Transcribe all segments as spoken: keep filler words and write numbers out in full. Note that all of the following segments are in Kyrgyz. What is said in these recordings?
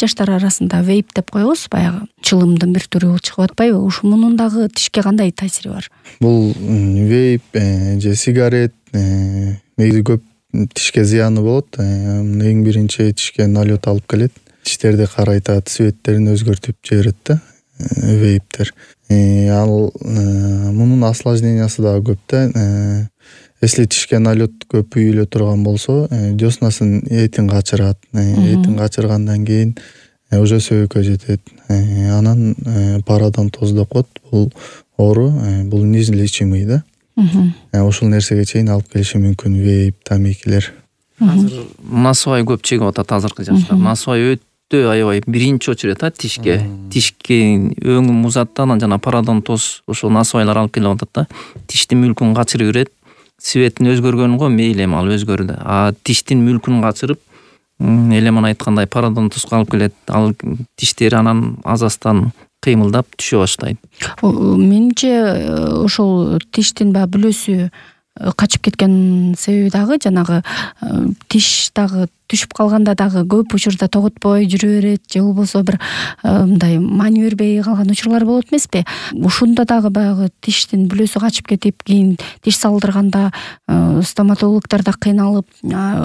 жаштар арасында вейп деп коебуз, баягы чылымдын бир түрү чыгып атпайбы? Ушу мунун дагы тишке кандай таасири бар? Бул вейп же сигарет негизи көп тишке зыяны болот. Эң биринчи тишке налет алып келет. Тиштерди карайтат, цветтерин өзгөртүп жиберет да вейптер. Ал мунун осложнениясы дагы көп да. Если тишке налет көп үйүлө турган болсо, деснасын этин качырат. Этин качыргандан кийин уже сөбөккө жетет. Анан пародонтоз деп коет. Бул оору, бул неизлечимый да. Ошол нерсеге чейин алып келиши мүмкүн вейп, тамекилер. Азыр насыбай көп чегип атат азыркы жаштар. Насыбай өтө аябай биринчи очередь а тишке. Тишке өңү музат, анан жана пародонтоз ошо насыбайлар алып келип атат да. Тиштин мүлкүн качырып берет. Цветин өзгөргөн го мейли эми ал өзгөрдү. А тиштин мүлкүн качырып, элеман айткандай пародонтозго алып келет. Ал тиштери анан азастан кыймылдап түшө баштайт. Менимче ошол тиштин баягы бүлөсү качып кеткен себеби дагы жанагы тиш дагы түшүп калганда дагы көп учурда тоготпой жүрө берет, же болбосо бир мындай маани бербей калган учурлар болот эмеспи? Ушунда дагы баягы тиштин бүлөсү качып кетип, кийин тиш салдырганда стоматологдор да кыйналып,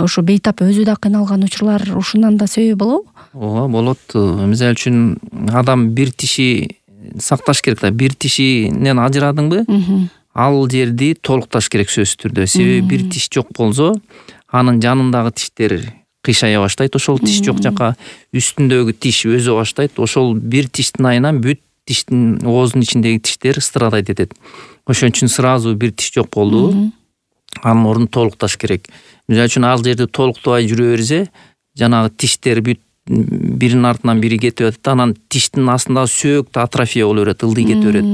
ошо бейтап өзү да кыйналган учурлар ушундан да себеби болобу? Ооба, болот. Мисалы үчүн адам бир тиши сакташ керек да. Бир тишинен ажырадыңбы? Ал жерди толукташ керек сөзсүз түрдө. Себеби бир тиш жок болсо, анын жанындагы тиштер кыйшая баштайт. Ошол тиш жок жака үстүндөгү тиш өзө баштайт. Ошол бир тиштин айынан бүт тиштин ооздун ичиндеги тиштер страдайт этет. Ошон үчүн сразу бир тиш жок болду. Анын ордун толукташ керек. Мисалы үчүн ал жерди толуктабай жүрө берсе, жанагы тиштер бүт биринин артынан бири кетип атат, анан тиштин астындагы сөөк да атрофия боло берет, ылдый кетип берет.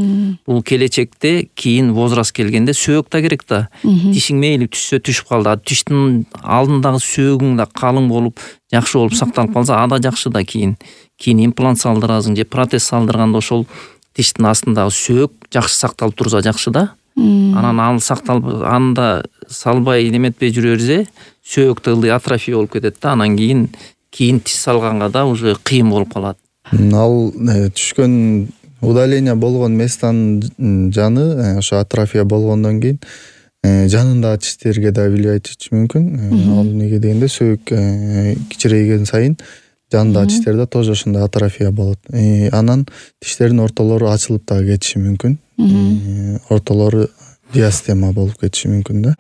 Бул келечекте кийин возраст келгенде сөөк да керек да. Тишиң мейли түшсө түшүп калды. Тиштин алдындагы сөөгүң да калың болуп, жакшы болуп сакталып калса, ада жакшы да кийин. Кийин имплант салдырасың же протез салдырганда ошол тиштин астындагы сөөк жакшы сакталып турса жакшы да. Анан ал сакталып, анда салбай неметпей жүрө берсе, сөөк да ылдый атрофия болуп кетет да. Анан кийин кийин тиш салганга да уже кыйын болуп калат. Ал түшкөн удаление болгон местанын жаны ошо атрофия болгондон кийин жанындагы тиштерге да влиять этиши мүмкүн. Ал эмнеге дегенде сөөк кичирейген сайын жанындагы тиштерде тоже ошондой атрофия болот. Анан тиштердин ортолору ачылып дагы кетиши мүмкүн. Ортолору диастема болуп кетиши мүмкүн да.